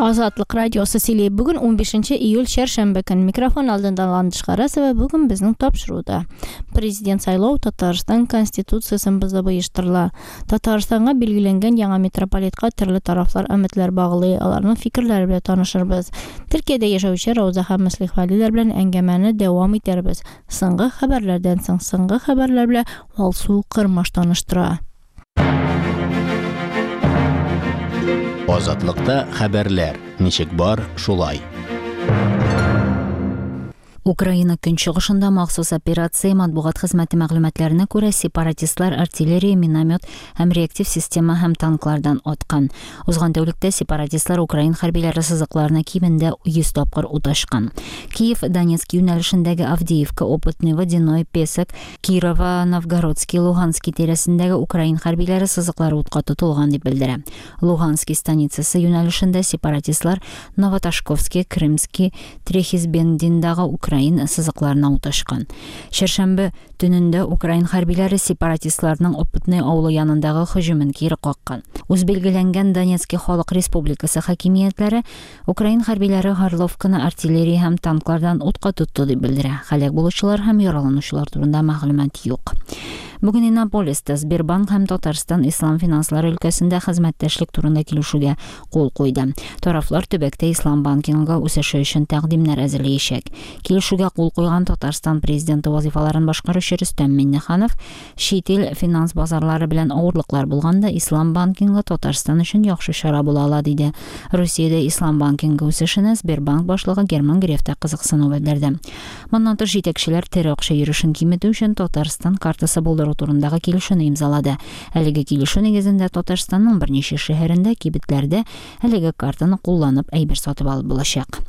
Азатлык радиосы сөйли. Бүген 15 июль чәршәмбе көн. Микрофон алдында Ландыш Харасова. Бүген безнең тапшыруда. Президент сайлау Татарстан Конституциясен бозып оештырыла. Татарстанга билгеләнгән яңа митрополитка төрле тарафлар өметләр баглый, аларның фикерләре белән танышырбыз. Төркиядә яшәүче Рауза һәм Мөслих Вәлиләр белән әңгәмәне дәвам итәрбез. Соңгы хәбәрләрдән соң соңгы хәбәрләр белән Алсу Кырмаш таныштыра. Азатлыкта хәбәрләр ничек бар, шулай. Украина көнчыгышында махсус операция матбугат хезмәте мәгълүматларына күрә, сепаратистлар артиллерия, миномет һәм реактив система һәм танклардан аткан. Узган тәүлектә сепаратистлар украин хәрбиләре сызыкларына кимендә 100 тапкыр ут ачкан. Киев, Донецк юнәлешендәге Авдеевка, Опытный, Водяной, Песок, Кирово, Новгородский, Луганский тирәсендәге украин хәрбиләре сызыклары утка тотылган дип белдерә. Луганский станицасы юнәлешендә сепаратистлар Новоташковский, Крымский, Трехизбендиндагы украин сызыкларына ут ачкан. Чәршәмбе төнендә украин хәрбиләре сепаратистларның Опытный авылы янындагы һөҗүмен кире каккан. Үзбилгеләнгән Донецки Халык Республикасы хакимиятләре Украин хәрбиләре Горловканы артиллерия һәм танклардан утка тотты дип белдерә. Һәлак булучылар һәм яраланучылар турында мәгълүмат юк. Бүген Иннополиста Сбербанк һәм Татарстан ислам финанслары өлкәсендә хезмәттәшлек турында килешүгә кул куйды. Тарафлар төбәктә ислам банкингы үсеше өчен тәкъдимнәр әзерләячәк. Килешүгә кул куйган Татарстан президенты вазифаларын башкаручы Рөстәм Миңнеханов Чит ил финанс базарлары белән авырлыклар булганда, ислам банкингы Татарстан өчен яхшы чара була ала, диде. Русиядә ислам банкингы үсешенә Сбербанк башлыгы Герман Греф та кызыксыну белдерде. Моннан тыш, җитәкчеләр тере акча йөрешен киметү өчен Татарстан картасы булдыру турындагы килешүне имзалады. Әлеге килешү нигезендә Татарстанның берничә шәһәрендә кибетләрдә Әлеге картаны кулланып әйбер сатып алып булачак.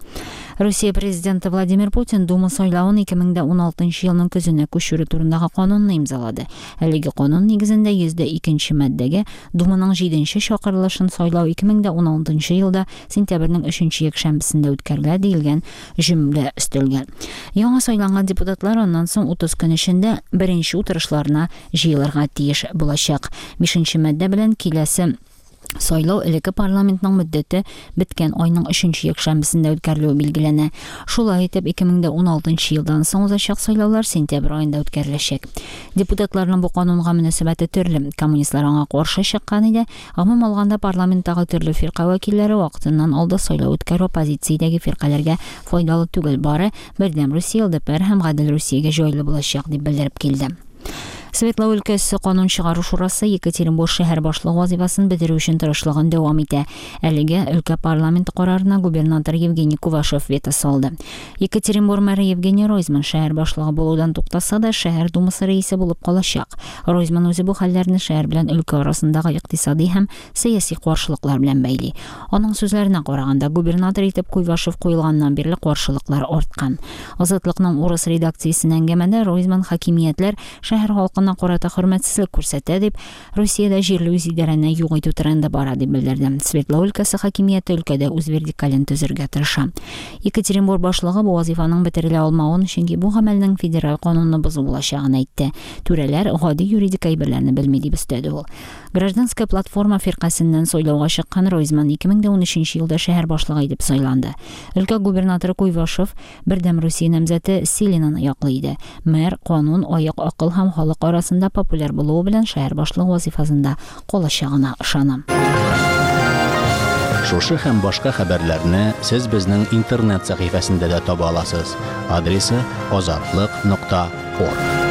Русия президенты Владимир Путин Дума сайлавын 2016 елның көзенә күчерү турындагы канунны имзалады. Әлеге канун нигезендә 102 маддәгә Думаның 7 чакырылышын сайлау 2016 елда сентябрьнең 3 якшәмбесендә үткәрелә диелгән җөмлә өстәлгән. Яңа сайланган депутатлар аннан соң 30 көн эчендә беренче утырышларына җыелырга тиеш булачак. Бишенче маддә белән киләсе Сайлау элекке парламентның мөддәте беткән айның өченче якшәмбесендә үткәрелүе билгеләнә. Шулай итеп, 2016 елдан соң узачак сайлаулар сентябрь аенда үткәреләчәк. Депутатларның бу канунга мөнәсәбәте төрле. Коммунистлар аңа каршы чыккан иде. Гомум алганда, парламенттагы төрле фирка вәкилләре вакытыннан алда сайлау үткәрү оппозициядәге фиркаләргә файдалы түгел, бары Бердәм Русия, ЛДПР һәм Гадел Русиягә җайлы булачак, дип белдереп килде. Свердлау өлкәсе канун чыгару шурасы Екатеринбург шәһәр башлыгы вазифасын бетерү өчен тырышлыгын дәвам итә. Әлегә өлкә парламенты карарына губернатор Евгений Кувашев вето салды. Екатеринбур мэры Евгений Ройзман шәһәр башлыгы булудан туктаса да, шәһәр думасы рәисе булып калачак. Ройзман үзе бу хәлләрне шәһәр белән өлкә арасындагы икътисади һәм сәяси каршылыклар белән бәйли. Аның сүзләренә караганда, губернатор итеп Куйвашев куелганнан бирле каршылыклар арткан. Азатлыкның урыс редакциясенә әңгәмәдә Ройзман хакимиятләр шәһәр халкына карата хөрмәтсезлек күрсәтә дип, Русиядә җирле үзидарәне юк итү тренды бара дип белдерде. Свердлау өлкәсе хакимияте өлкәдә үз вертикален төзергә тырыша. Екатеринбур башлыгы бу вазифаның бетерелә алмавын, чөнки бу гамәлнең федераль канунны бозу булачагын әйтте. Түрәләр гади юридик әйберләрне белми дип өстәде ул. Гражданская платформа фиркасеннән сайлауга чыккан Ройзман 2013 елда шәһәр башлыгы итеп сайланды. Өлкә губернаторы Куйвашев Бердәм Русия намзәте Селинаны яклый иде. Мэр канун, аек акыл һәм халык арасында популяр булуы белән шәһәр башлыгы вазифасында калачагына ышана. Шушы һәм башка хәбәрләрне сез безнең интернет сәхифәсендә дә таба аласыз. Адресы азатлык нокта орг.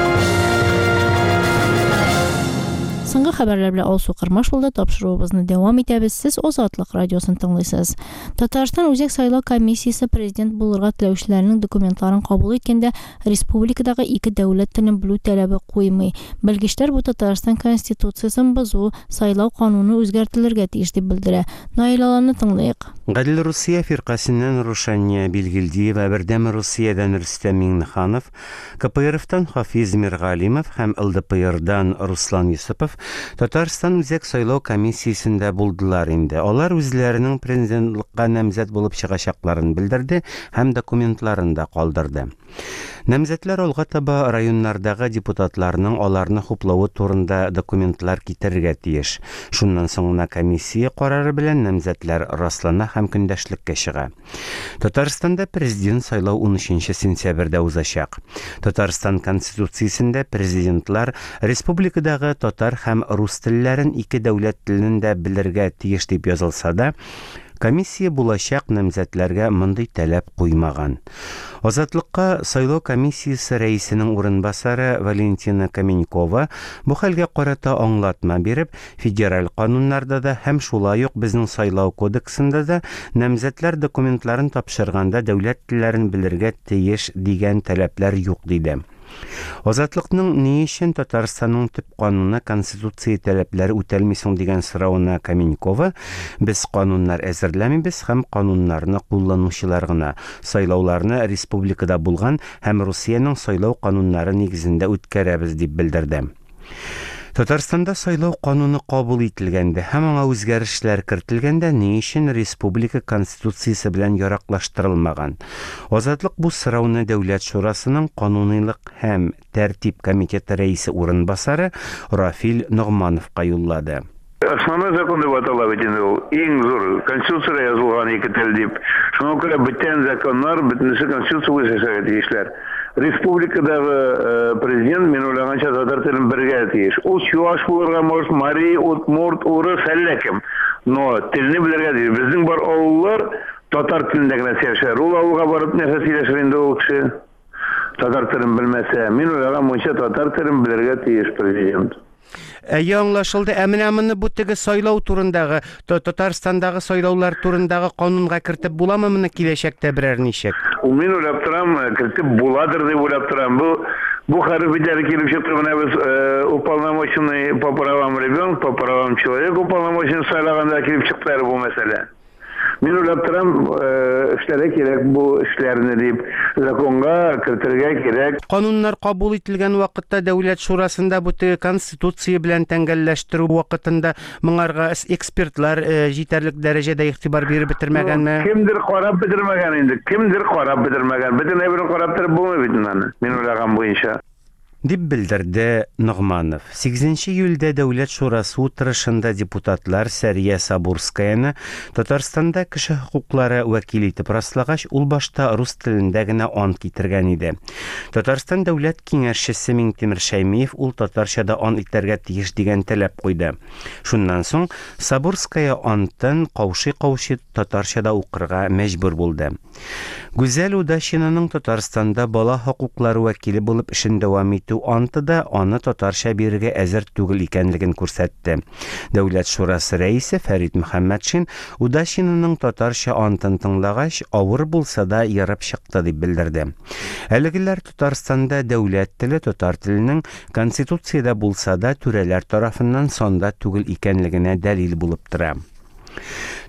Соңгы хәбәрләр белән Алсу Кырмаш булды. Тапшыруыбызны дәвам итәбез. Сез Азатлык радиосын тыңлыйсыз. Татарстан Үзәк сайлау комиссиясе президент булырга теләүчеләрнең документларын кабул иткәндә республикадагы ике дәүләт телен белү таләбе куймый. Белгечләр бу Татарстан Конституциясен бозу, сайлау кануны үзгәртелергә тиеш дип белдерә. Наил Аланны тыңлыйк. Гадел Русия фиркасеннән Рушания Билгилдиева, Бердәм Русиядән Рөстәм Миңнеханов, КПРФтан Хафиз Миргалимов һәм ЛДПРдан Руслан Йосыпов Татарстан Үзәк сайлау комиссиясендә булдылар инде. Алар үзләренең президентлыкка намзәт булып чыгачакларын белдерде һәм документларын да калдырды. Намзәтләр алга таба районнардагы депутатларның аларны хуплавы турында документлар китерергә тиеш. Шуннан соң гына комиссия карары белән намзәтләр раслана һәм көндәшлеккә чыга. Татарстанда президент сайлау 13 сентябрьдә узачак. Татарстан Конституциясендә президентлар республикадагы татар һәм рус телләрен ике дәүләт телен дә белергә тиеш дип язылса да, комиссия булачак намзәтләргә мондый таләп куймаган. Азатлыкка сайлау комиссиясе рәисенең урынбасары Валентина Каменькова бу хәлгә карата аңлатма биреп, федераль кануннарда да һәм шулай ук безнең сайлау кодексында да намзәтләр документларын тапшырганда дәүләт телләрен белергә тиеш дигән таләпләр юк диде. Азатлыкның ни өчен Татарстанның төп кануны Конституция таләпләре үтәлми соң дигән соравына Каменькова, без кануннар әзерләмибез һәм кануннарны кулланучылар гына, сайлауларны республикада булган һәм Русиянең сайлау кануннары нигезендә үткәрәбез дип белдерде. Татарстанда сайлау кануны кабул ителгәндә һәм аңа үзгәрешләр кертелгәндә ни өчен республика Конституциясе белән яраклаштырылмаган? Азатлык бу сорауны Дәүләт шурасының кануныйлык һәм тәртип комитеты рәисе урынбасары Рафил Ногмановка юллады. Основной закон дип атала бит инде ул. Иң зур Конституциядә язылган ике тел дип. Шуңа күрә бөтен законнар бөтенесе Конституция буенча эшләргә тиешләр. Республикадагы э, президент, мин уйлаганча, татар телен белергә тиеш. Ул чуаш булырга может, мари, удмурт, урыс, әллә кем. Но телне белергә тиеш. Безнең бар авыллар татар телендә генә сөйләшәләр. Ул авылга барып нәрсә сөйләшер инде ул кеше? Татар телен белмәсә. Мин уйлаган буенча татар телен белергә тиеш президент. Әйе, аңлашылды. Ә менә моны бу теге сайлау турындагы, Татарстандагы сайлаулар турындагы канунга кертеп буламы моны киләчәктә берәр ничек? Ул мин уйлап торам, э, кертеп буладыр дип уйлап торам. Бу бу хәреф бит әле килеп чыкты. Менә без э, уполномоченный по правам ребенка, по правам человека уполномоченный сайлаганда килеп чыкты әле бу мәсьәлә. Мин уйлап торам, э, эшләргә кирәк бу эшләрне дип, законга кертергә кирәк. Кануннар кабул ителгән вакытта Дәүләт шурасында бу теге Конституция белән тәңгәлләштерү вакытында моңарга экспертлар э, җитәрлек дәрәҗәдә игътибар биреп бетермәгәнме? Кемдер карап бетермәгән инде, кемдер карап бетермәгән. Бөтен әйберне карап торып булмый бит инде аны, мин уйлаган буенча. Дип белдерде Ногманов. Сигезенче июльдә Дәүләт шурасы утырышында депутатлар Сәрия Сабурскаяны Татарстанда кеше хокуклары вәкиле итеп раслагач, ул башта рус телендә генә ант китергән иде. Татарстан Дәүләт Киңәшчесе Миңтимер Шәймиев ул татарча да ант итәргә тиеш дигән таләп куйды. Шуннан соң Сабурская антын каушый-каушый татарча да укырга мәҗбүр булды. Гүзәл Удачинаның Татарстанда бала хокуклары вәкиле булып эшен дәвам итү анты да аны татарча бирергә әзер түгел икәнлеген күрсәтте. Дәүләт шурасы рәисе Фәрит Мөхәммәтшин Удачинаның татарча антын тыңлагач, авыр булса да ерып чыкты дип белдерде. Әлегеләр Татарстанда дәүләт теле татар теленең Конституциядә булса да түрәләр тарафыннан санда түгел икәнлегенә дәлил булып тора.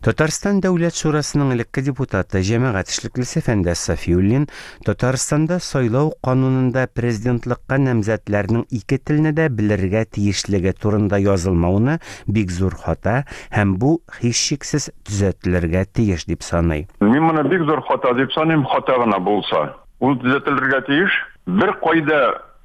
Татарстан Дәүләт шурасының элекке депутаты, җәмәгать эшлеклесе Фәндәс Сафиуллин Татарстанда сайлау канунында президентлыкка намзәтләрнең ике телне дә белергә тиешлеге турында язылмауны бик зур хата һәм бу һичшиксез төзәтелергә тиеш дип саный. Мин моны бик зур хата дип саныйм, хата гына булса. Ул төзәтелергә тиеш. Бер кайда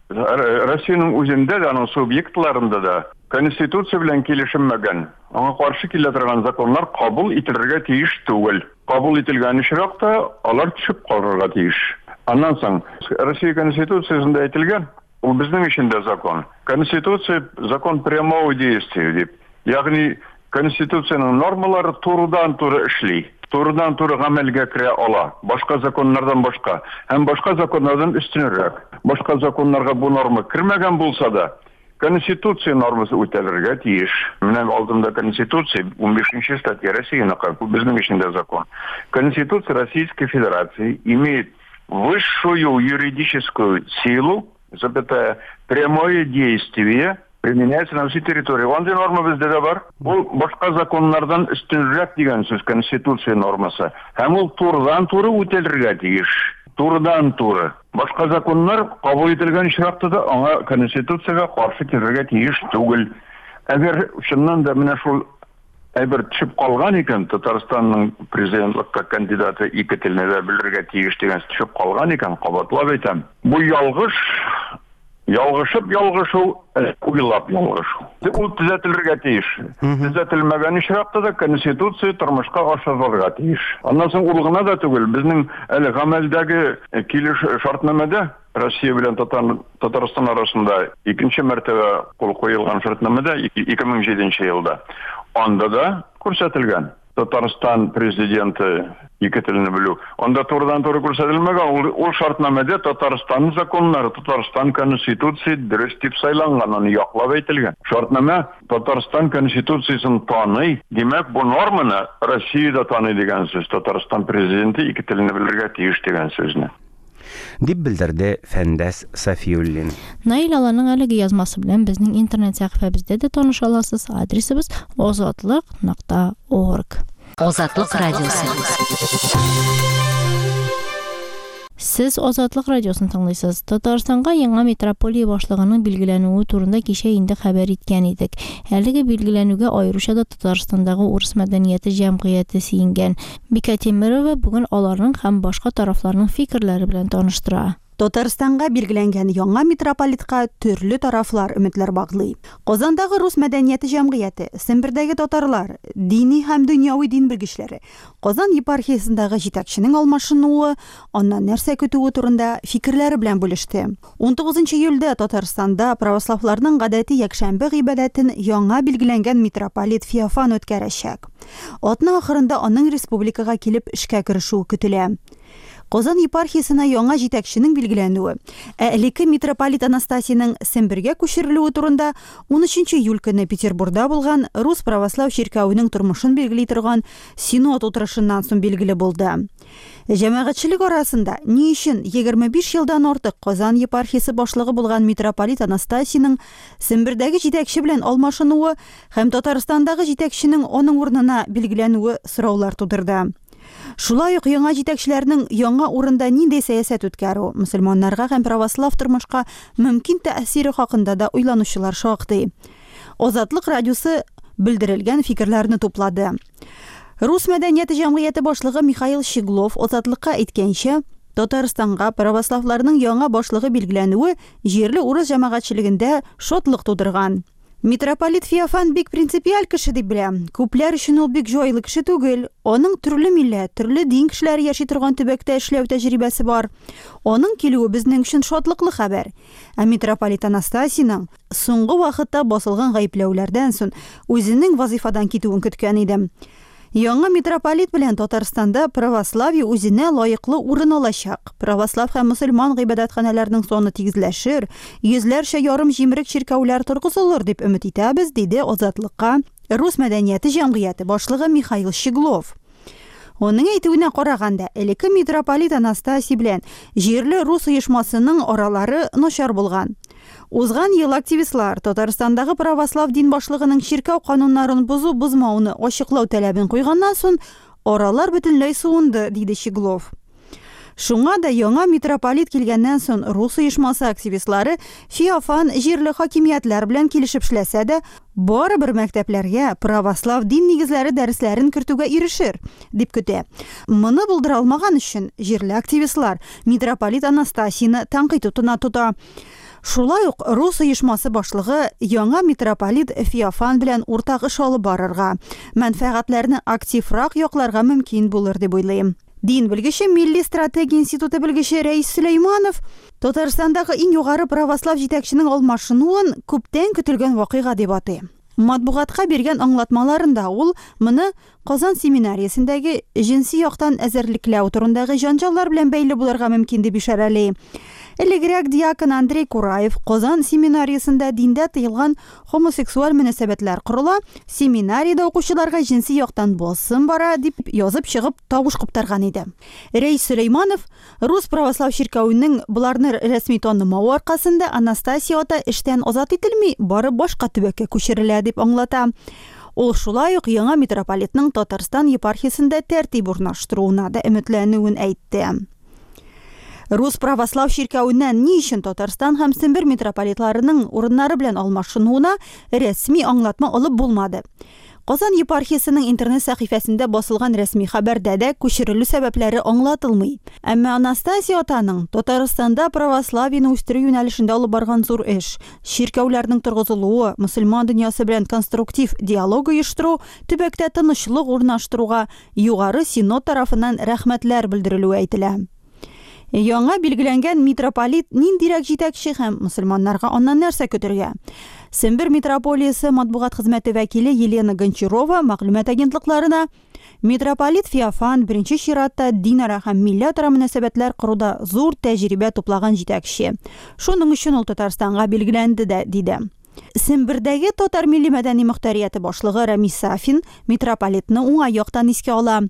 Россиянең үзендә дә, аның субъектларында да Конституция белән килешенмәгән, аңа каршы килә торган законнар кабул ителергә тиеш түгел. Кабул ителгән очракта алар төшеп калырга тиеш. Аннан соң, Россия Конституциясендә әйтелгән, ул безнең өчен дә закон. Конституция закон прямого действия дип. Ягъни Конституциянең нормалары турыдан-туры эшли, турыдан-туры гамәлгә керә ала, башка законнардан башка һәм башка законнардан өстенрәк. Башка законнарга бу норма кермәгән булса да, Конституция нормасы үтәлергә тиеш. Менә алдымда Конституция, 15 статья Россияныкы, бу безнең өчен дә закон. Конституция Российской Федерации имеет высшую юридическую силу, запятая, прямое действие применяется на всей территории. Андый норма бездә дә бар. Ул башка законнардан өстенрәк дигән сүз Конституция нормасы. Һәм ул турыдан-туры үтәлергә тиеш. Турыдан-туры. Башка законнар кабул ителгән очракта да аңа Конституциягә каршы килергә тиеш түгел. Әгәр чыннан да менә шул әйбер төшеп калган икән, Татарстанның президентлыкка кандидаты ике телне дә белергә тиеш дигән төшеп калган икән, кабатлап әйтәм. Бу ялгыш, ялгышып ялгышу, уйлап ялгышу. Ул төзәтелергә тиеш. Төзәтелмәгән очракта да Конституция тормышка ашырылырга тиеш. Аннан соң ул гына да түгел, безнең әле гамәлдәге килеш шартнамәдә Россия белән Татарстан арасында икенче мәртәбә кул куелган шартнамәдә 2007 елда анда да күрсәтелгән. Татарстан президенты ике телне белү. Анда турыдан-туры күрсәтелмәгән, ул, ул шартнамәдә Татарстан законнары, Татарстан конституция дөрес дип сайланган, аны яклап әйтелгән. Шартнамә Татарстан конституциясен таный, димәк, бу норманы Россия дә таный дигән сүз, Татарстан президенты ике телне белергә тиеш дигән сүзне. Дип белдерде Фәндәс Сафиуллин. Наил Аланның әлеге язмасы белән безнең интернет сәхифәбездә дә таныша аласыз. Адресыбыз озатлык нокта орг. Азатлык радиосы. Сез Азатлык радиосын тыңлыйсыз. Татарстанга яңа митрополия башлыгының билгеләнүе турында кичә инде хәбәр иткән идек. Әлеге билгеләнүгә аеруча да Татарстандагы урыс мәдәнияте җәмгыяте сөенгән. Бикә Тимерова бүген аларның һәм башка тарафларның фикерләре белән таныштыра. Татарстанга билгеләнгән яңа митрополитка төрле тарафлар өметләр баглый. Казандагы рус мәдәнияте җәмгыяте, Сембердәге татарлар, дини һәм дөньяви дин белгечләре, Казан епархиясендәге җитәкченең алмашынуы, аннан нәрсә көтүе турында фикерләре белән бүлеште. 19 июльдә Татарстанда православларның гадәти якшәмбе гыйбадәтен яңа билгеләнгән митрополит Феофан үткәрәчәк. Атна ахырында аның республикага килеп эшкә керешүе көтелә. Казан епархиясенә яңа җитәкченең билгеләнүе, ә элекке митрополит Анастасийның Сембергә күчерелүе турында 13 июль көне Петербурда булган Рус православ чиркәвенең тормышын билгели торган Синод утырышыннан соң билгеле булды. Җәмәгатьчелек арасында ни өчен 25 елдан артык Казан епархиясе башлыгы булган митрополит Анастасийның Сембердәге җитәкче белән алмашынуы һәм Татарстандагы җитәкченең аның урынына билгеләнүе сораулар тудырды. Шулай ук яңа җитәкчеләрнең яңа урында нинди сәясәт үткәрү, мөселманнарга һәм православ тормышка мөмкин тәэсире хакында да уйланучылар шактый. Азатлык радиосы белдерелгән фикерләрне туплады. Рус мәдәнияте җәмгыяте башлыгы Михаил Щеглов Азатлыкка әйткәнчә, Татарстанга православларның яңа башлыгы билгеләнүе җирле урыс җәмәгатьчелегендә шатлык тудырган. Митрополит Феофан бик принципиаль кеше дип беләм. Күпләр өчен ул бик җайлы кеше түгел. Аның төрле милләт, төрле дин кешеләре яши торган төбәктә эшләү тәҗрибәсе бар. Аның килүе безнең өчен шатлыклы хәбәр. Ә митрополит Анастасийның соңгы вакытта басылган гаепләүләрдән соң үзенең вазыйфадан китүен көткән идем. Яңа митрополит белән Татарстанда православие үзенә лаеклы урын алачак. Православ һәм мөселман гыйбадәтханәләренең саны тигезләшер, йөзләрчә ярым җимерек чиркәүләр торгызылыр дип өмет итәбез, диде Азатлыкка Рус мәдәнияте җәмгыяте башлыгы Михаил Щеглов. Аның әйтүенә караганда, элекке митрополит Анастасий белән җирле рус оешмасының аралары начар булган. Узган ел активистлар Татарстандагы православ дин башлыгының чиркәү кануннарын бозу-бозмауны ачыклау таләбен куйганнан соң, аралар бөтенләй суынды, диде Щеглов. Шуңа да яңа митрополит килгәннән соң рус оешмасы активистлары Феофан җирле хакимиятләр белән килешеп эшләсә дә, барыбер мәктәпләргә православ дин нигезләре дәресләрен кертүгә ирешер, дип көтә. Моны булдыра алмаган өчен җирле активистлар митрополит Анастасийны тәнкыйть утына тота. Шулай ук рус оешмасы башлыгы яңа митрополит Феофан белән уртак эш алып барырга, мәнфәгатьләрне активрак якларга мөмкин булыр дип уйлыйм. Дин белгече, Милли стратегия институты белгече Рәис Сөләйманов Татарстандагы иң югары православ җитәкченең алмашынуын күптән көтелгән вакыйга дип атый. Матбугатка биргән аңлатмаларында ул моны Казан семинариясендәге җенси яктан әзерлекләү турындагы җанҗаллар белән бәйле булырга мөмкин дип ишарәли. Элегрәк диакон Андрей Кураев Казан семинариясендә диндә тыелган хомосексуаль мөнәсәбәтләр корыла, семинариядә укучыларга җенси яктан басым бара дип язып чыгып тавыш куптарган иде. Рәис Сөләйманов Рус православ чиркәвенең боларны рәсми танымавы аркасында Анастасия ата эштән азат ителми, бары башка төбәккә күчерелә дип аңлата. Ул шулай ук яңа митрополитның Татарстан епархиясендә тәртип урнаштыруына да өметләнүен әйтте. Рус православ чиркәвеннән ни өчен Татарстан һәм Сембер митрополитларының урыннары белән алмашынуына рәсми аңлатма алып булмады. Казан епархиясенең интернет сәхифәсендә басылган рәсми хәбәрдә дә күчерелү сәбәпләре аңлатылмый. Әмма Анастасий атаның Татарстанда православиене үстерү юнәлешендә алып барган зур эш, чиркәүләрнең торгызылуы, мөселман дөньясы белән конструктив диалог оештыру, төбәктә тынычлык урнаштыруга Югары Синод тарафыннан рәхмәтләр белдерелүе әйтелә. Яңа билгеләнгән митрополит ниндирәк җитәкче һәм мөселманнарга аннан нәрсә көтергә? Сембер митрополиясе матбугат хезмәте вәкиле Елена Гончарова мәгълүмат агентлыкларына Митрополит Феофан беренче чиратта динара һәм милләтара мөнәсәбәтләр коруда зур тәҗрибә туплаган җитәкче. Шуның өчен ул Татарстанга билгеләнде дә, диде. Сембердәге татар милли-мәдәни мохтарияте башлыгы Рәмис Сафин митрополитны уңай яктан искә ала.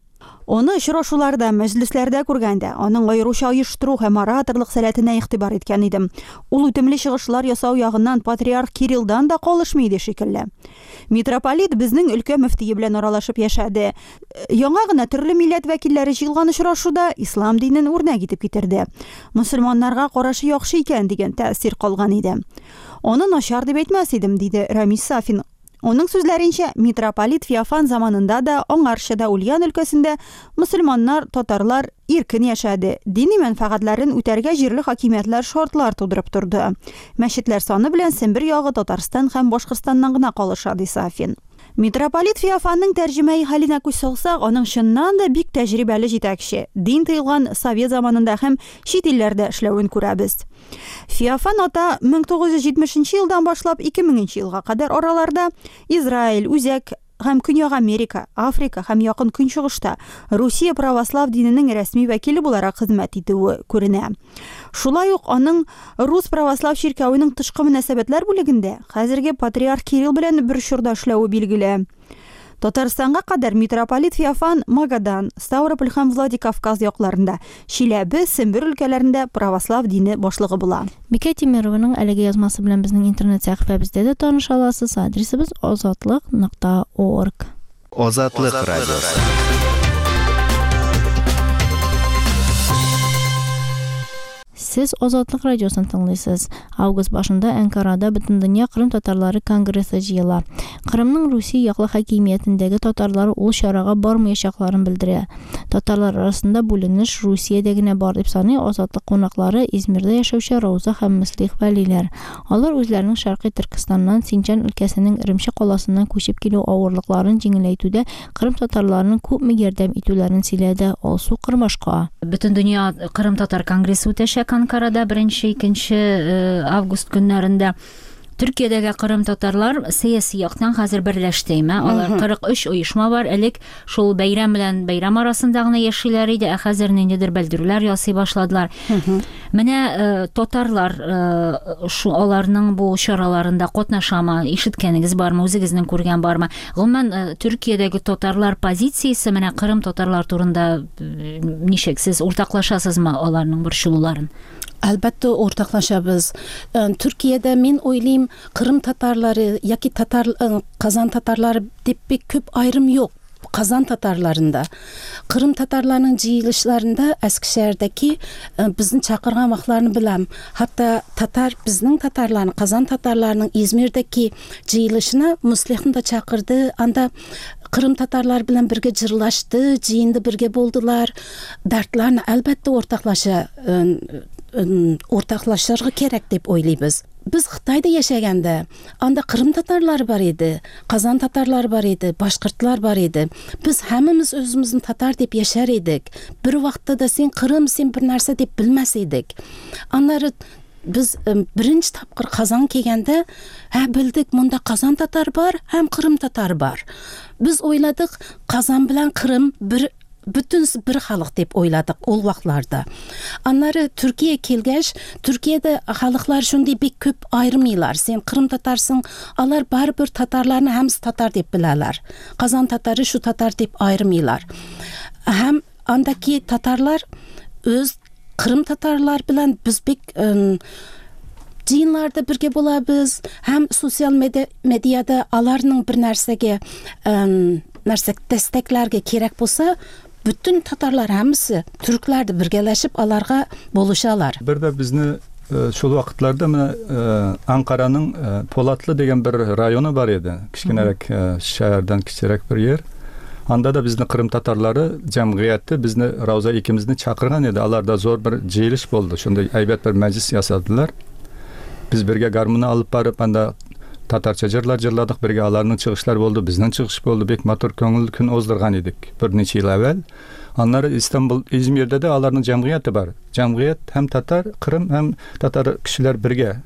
Аны очрашуларда, мәҗлесләрдә күргәндә, аның аеруча оештыру һәм ораторлык сәләтенә игътибар иткән идем. Ул үтемле чыгышлар ясау ягыннан патриарх Кириллдан да калышмый иде шикелле. Митрополит безнең өлкә мөфтие белән аралашып яшәде. Яңа гына төрле милләт вәкилләре җыелган очрашуда ислам динен үрнәк итеп китерде. Мөселманнарга карашы яхшы икән дигән тәэсир калган иде. Аны начар дип әйтмәс идем, диде Рәмис Сафин. Аның сүзләренчә, митрополит Феофан заманында да, аңарчы да Ульян өлкәсендә мөселманнар, татарлар иркен яшәде, дини мәнфәгатьләрен үтәргә җирле хакимиятләр шартлар тудырып торды. Мәчетләр саны белән Сембер ягы Татарстан һәм Башкортстаннан гына калыша, ди Сафин. Митрополит Феофанның тәрҗемәи хәленә күз салсак, аның чыннан да бик тәҗрибәле җитәкче, дин тыелган совет заманында һәм чит илләрдә эшләвен күрәбез. Феофан ата 1970 нче елдан башлап 2000 нче елга кадәр араларда Израиль, Үзәк һәм Көньяк Америка, Африка һәм Якын Көнчыгышта Русия православ диненең рәсми вәкиле буларак хезмәт итүе күренә. Шулай ук аның Рус православ чиркәвенең тышкы мөнәсәбәтләр бүлегендә хәзерге патриарх Кирилл белән бер чорда эшләве билгеле. Татарстанга кадәр митрополит Феофан Магадан, Ставрополь һәм Владикавказ якларында, Чиләбе, Сембер өлкәләрендә православ дине башлыгы була. Бикә Тимерованың әлеге язмасы белән безнең интернет сәхифәбездә дә таныша аласыз. Адресыбыз азатлык нокта орг. Азатлык радиосы. Сез Азатлык радиосын тыңлыйсыз. Август башында Әнкарада Бөтендөнья Кырым татарлары конгрессы җыела. Кырымның Русия яклы хакимиятендәге татарлары ул чарага бармаячакларын белдерә. Татарлар арасында бүленеш Русиядә генә бар дип саный Азатлык кунаклары Измирдә яшәүче Рауза һәм Мөслих Вәлиләр. Алар үзләренең Шәркый Төркестаннан Синҗан өлкәсенең Эремче каласыннан күчеп килү авырлыкларын җиңеләйтүдә Кырым татарларының күпме ярдәм итүләрен сөйләде Алсу Кырмашка. Бөтендөнья Кырым татар конгрессы үтәчәк Анкарада 1-2 э, август көннәрендә. Төркиядәге кырым татарлар сәяси яктан хәзер берләште, әйме? Алар 43 оешма бар. Элек шул бәйрәм белән бәйрәм арасында гына яшиләр иде, ә хәзер ниндидер белдерүләр ясый башладылар. Менә э, татарлар э, шу аларның бу чараларында катнашамы? Ишеткәнегез бармы? Үзегезнең күргән бармы? Гомумән, э, Төркиядәге татарлар позициясе менә Кырым татарлар турында э, ничек? Сез уртаклашасызмы аларның борчылуларын? Әлбәттә, уртаклашабыз. Э, Төркиядә мин уйлыйм, Кырым татарлары яки татар Казан татарлары дип бик күп аерым юк. Казан татарларында, Кырым татарларының җыелышларында Әскешәһәрдәге безне чакырган вакытларны беләм. Хәтта татар безнең татарларның, Казан татарларының Измирдәге җыелышына Муслихны да чакырды. Анда Кырым татарлар белән бергә җырлашты, җыенда бергә булдылар. Дәртләрне әлбәттә уртаклаша, уртаклашырга кирәк дип уйлыйбыз. Без Хытайда яшәгәндә, анда Кырым татарлары бар иде, Казан татарлары бар иде, башкортлар бар иде. Без һәммәмез үзебезне татар дип яшәр идек. Бер вакытта да син Кырым, син бер нәрсә дип белмәс идек. Аннары без беренче тапкыр Казан килгәндә, һә белдек, монда Казан татар бар һәм Кырым татар бар. Без уйладык, Казан белән Кырым бер бөтен бер халык дип уйладык ул вакытларда. Аннары Төркия килгәч, Төркиядә халыклар шундый бик күп аермыйлар. Син Кырым татарсың, алар барыбер татарларны һәммәсе татар дип беләләр. Казан татары шу татар дип аермыйлар. Һәм андаки татарлар үз Кырым татарлар белән без бик җыеннарда бергә булабыз һәм социаль медиада аларның бер нәрсәгә нәрсә дәстәкләргә кирәк булса, бөтен татарлар һәммәсе түркләр дә бергәләшеп аларга булышалар. Бер дә безне шул вакытларда менә Анкараның Полатлы дигән бер районы бар иде. Кечкенәрәк шәһәрдән кечерәк бер җир. Анда да безне Кырым татарлары җәмгыяте безне Рауза икебезне чакырган иде. Аларда зур бер җыелыш булды. Шундый әйбәт бер мәҗлес ясадылар. Без бергә гармунны алып барып, анда татарча җырлар җырладык, бергә аларның чыгышлары булды, безнең чыгыш булды. Бик матур күңелле көн уздырган идек берничә ел әүвәл. Аннары Истанбул, Измирдә дә аларның җәмгыяте бар. Җәмгыять һәм татар, Кырым һәм татар кешеләр бергә.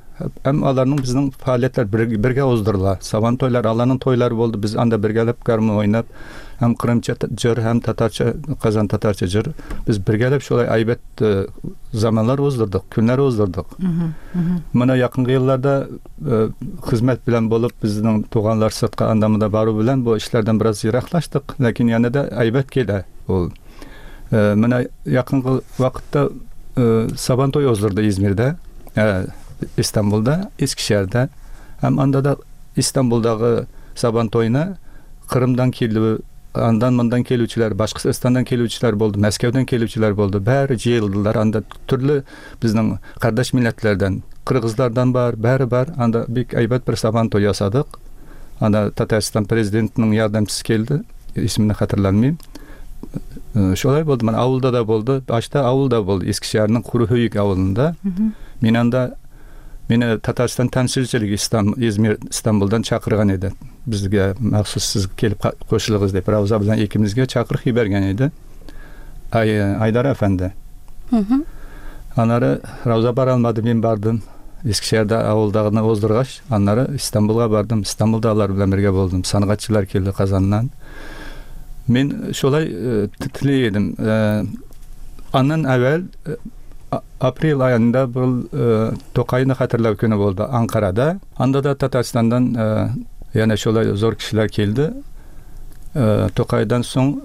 Һәм аларның безнең фәалиятләр бергә уздырыла. Сабан туйлар, аларның туйлары булды. Без анда бергәләп гармун уйнап, һәм кырымча җыр, һәм татарча, Казан татарча җыр. Без бергәләп шулай әйбәт э, заманнар уздырдык, көннәр уздырдык. Менә якынгы елларда э, хезмәт белән булып, безнең туганлар сыртка анда-монда бару белән бу эшләрдән бераз ераклаштык, ләкин янә дә әйбәт килә ул. Э, менә якынгы вакытта э, Сабан туй уздырды Измирдә, э, Истанбулда, Искешәһәрдә. Һәм анда да Истанбулдагы Сабан туена Кырымдан килү, андан мондан килүчеләр, Башкортстаннан килүчеләр булды, Мәскәүдән килүчеләр булды. Бәре җыелдылар анда төрле безнең кардәш милләтләрдән, кыргызлардан бар, бәре бар. Анда бик әйбәт бер Сабан туй ясадык. Анда Татарстан президентының ярдәмчесе килде, исемен хәтерләмим. Э, шулай булды. Менә авылда да булды. Башта авылда булды. Искешәһәрнең Курыһөек авылында. Мин анда мине Татарстан тәмсилчелеге Истан, Измир, Истанбулдан чакырган иде. Безгә махсус сез килеп кушылыгыз дип Рауза белән икебезгә чакырып җибәргән иде. Ай, Айдар әфәнде. Аннары Рауза бара алмады, мин бардым. Искешәһәрдә авылдагыны уздыргач, аннары Истанбулга бардым. Истанбулда алар белән бергә булдым. Сәнгатьчеләр килде Казаннан. Мин шулай э, тели идем. Э, аннан әвәл э, апрель аенда был Тукайны хәтерләү көне булды Анкарада. Анда да Татарстаннан янә шулай зур кешеләр килде. Тукайдан соң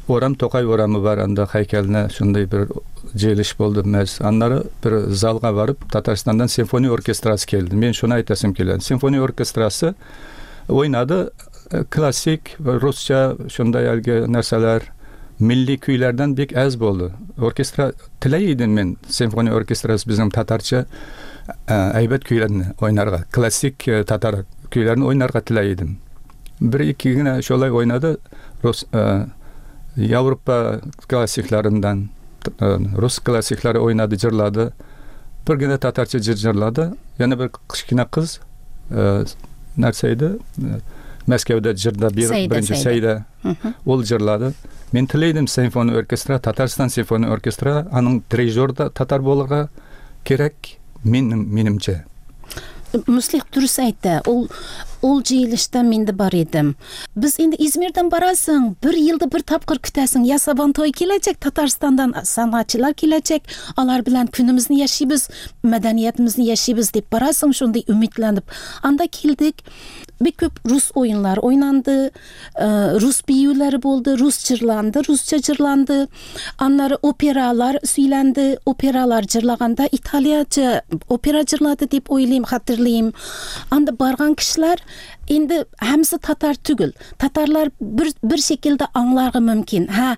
урам Тукай урамы бар, анда һәйкәленә шундый бер җыелыш булды. Мәс. Аннары бер залга барып Татарстаннан симфония оркестрасы килде. Мин шуны әйтәсем килә. Симфония оркестрасы уйнады классик русча шундай әлге нәрсәләр милли көйләрдән бик әз булды. Оркестра теләй идем мин симфония оркестрасы безнең татарча әйбәт көйләрне уйнарга, классик татар көйләрен уйнарга теләй идем. Бер ике генә шулай уйнады рус Европа классикларыннан рус классиклары уйнады, җырлады. Бер генә татарча җыр җырлады. Яна бер кечкенә кыз нәрсә иде? Мәскәүдә җырда беренче Сәйдә. Ул җырлады. Мин теләйдем симфония оркестра, Татарстан симфония оркестра, аның дирижер да татар булырга кирәк, минем минемчә. Мөслих дөрес әйтә. Ул ул җыелышта мин дә бар идем. Без инде Измирдән барасың, бер елда бер тапкыр көтәсең. Я Сабантуй киләчәк, Татарстандан сәнгатьчеләр киләчәк, алар белән көнебезне яшибез, мәдәниятебезне яшибез дип барасың, шундый өметләнеп. Анда килдек. Бик күп рус уеннары уйнанды, рус биюләре булды, рус җырланды, русча җырланды. Аннары опералар сөйләнде, опералар җырлаганда италияча опера җырлады дип уйлыйм, хәтерлим. Анда барган кешеләр инде һәммәсе татар түгел. Татарлар бер бер шикелдә аңларга мөмкин. Һә,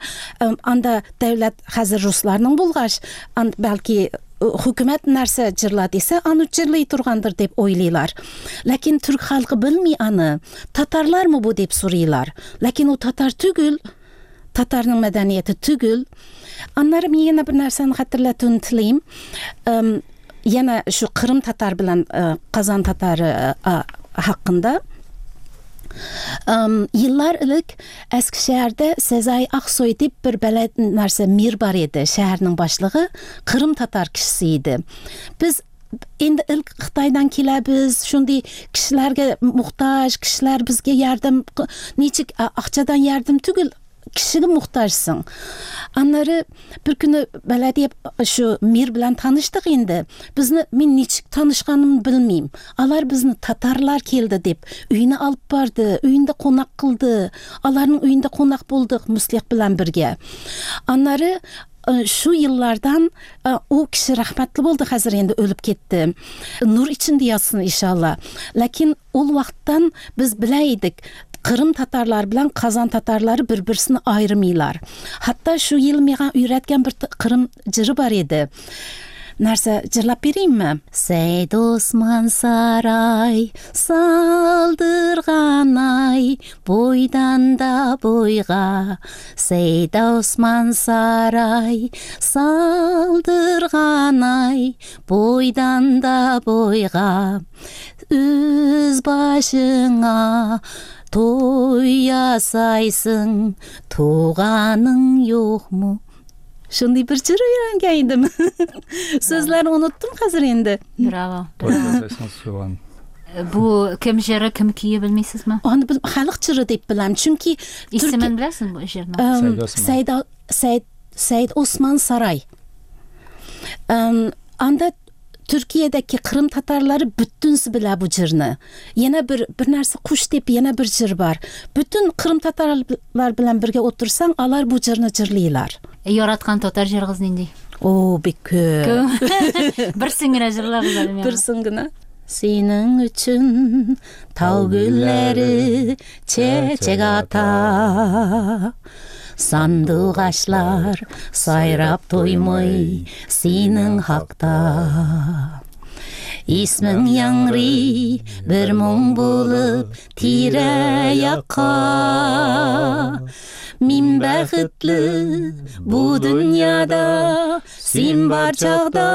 анда дәүләт хәзер русларның булгач, бәлки хөкүмәт нәрсә җырла дисә, аны җырлый торгандыр дип уйлыйлар. Ләкин түрк халкы белми аны. Татарлармы бу дип сорыйлар. Ләкин ул татар түгел. Татарның мәдәнияте түгел. Аннары мин янә бер нәрсәне хәтерләтүне телим. Янә шу Кырым татар белән Казан татары хакында. Еллар элек Әскешәһәрдә Сәзай Аксой дип бер бәләд нәрсә мир бар иде. Шәһәрнең башлыгы Кырым татар кешесе иде. Без инде илк Кытайдан киләбез, шундый кешеләргә мохтаҗ, кешеләр безгә ярдәм, ничек акчадан ярдәм түгел, кешегә мохтаҗсың. Аннары бер көне бәләдия шу мир белән таныштык инде. Безне мин ничек танышканымны белмим. Алар безне татарлар килде дип өенә алып барды, өендә кунак кылды. Аларның өендә кунак булдык Мөслих белән бергә. Аннары шу еллардан ул кеше рәхмәтле булды, хәзер инде үлеп китте. Нур эчендә ятсын иншалла. Ләкин ул вакыттан без белә идек, Кырым татарлары белән Казан татарлары бер-берсен аермыйлар. Хәтта шу ел миңа өйрәткән бер Кырым җыры бар иде. Нәрсә җырлап бирәйемме? Сәйд Осман сарай салдырган ай, бойдан да бойга. Сәйд Осман сарай салдырган ай, бойдан да бойга. Үз башыңа той ясайсың, туганың юкмы? Шундый бер җыр өйрәнгән идем. Сүзләрен оныттым хәзер инде. Браво. Той ясайсың суган. Бу кем җыры, кем көе белмисезме? Аны бел халык җыры дип беләм, чөнки Исемен беләсең бу җырның? Сәйд Осман. Сәйд Сәйд Сәйд Осман Сарай. Анда Төркиядәге Кырым татарлары бүтүнсү белә бу җырны. Яна бер бер нәрсә куш дип яна бер җыр бар. Бүтүн Кырым татарлар белән бергә утырсаң, алар бу җырны җырлыйлар. Яраткан татар җырыгыз нинди? О, бик күп. Берсен генә җырлагыз әле миңа. Берсен генә. Синең өчен тау гөлләре чәчәк ата. Сандугачлар сайрап туймый синең хакта. Исмең яңгырый бер моң булып тирә-якка. Мин бәхетле бу дөньяда син бар чакта.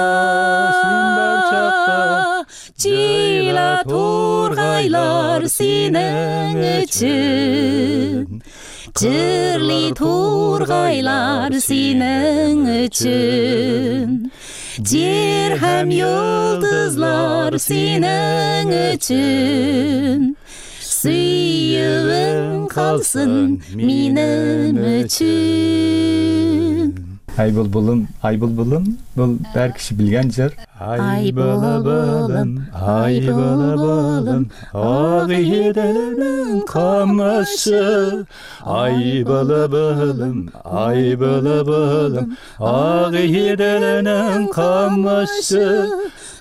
Син бар чакта. Җыйла тургайлар синең өчен. Җырлый тургайлар синең өчен. Җир һәм йолдызлар синең өчен. Сөюең калсын минем өчен. Ай булбулым, ай булбулым, бу бер кеше белгән җыр. Ай булбулым, ай булбулым, Агыйделнең камышы. Ай булбулым, ай булбулым, Агыйделнең камышы.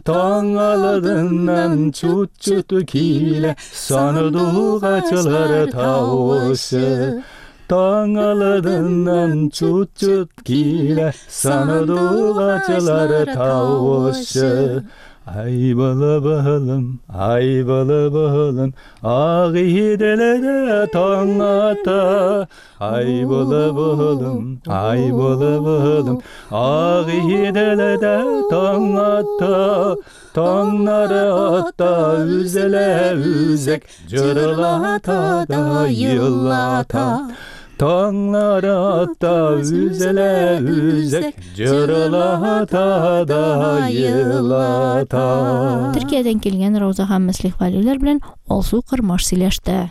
Таң алдыннан чут-чут килә, сандугачлар тавышы. Таң алдыннан чут-чут килә, сандугачлар тавышы. Ай булбулым, ай булбулым, Агыйделдә таң ата. Ай булбулым, ай булбулым, Агыйделдә таң ата. Таңнары ата үзелә үзек, җырлата да елата. Таңнары ата үзелә үзек, җырлата да елата. Төркиядән килгән Рауза һәм Мөслих Вәлиулар белән Алсу Кырмаш сөйләште.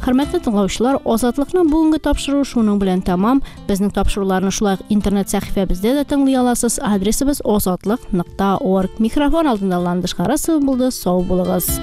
Хөрмәтле тыңлаучылар, Азатлыкның бүгенге тапшыруы шуның белән тәмам. Безнең тапшыруларны шулай ук интернет сәхифәбездә дә тыңлый аласыз. Адресыбыз azatliq.org. Микрофон алдында Ландыш Харасова булды. Сау булыгыз.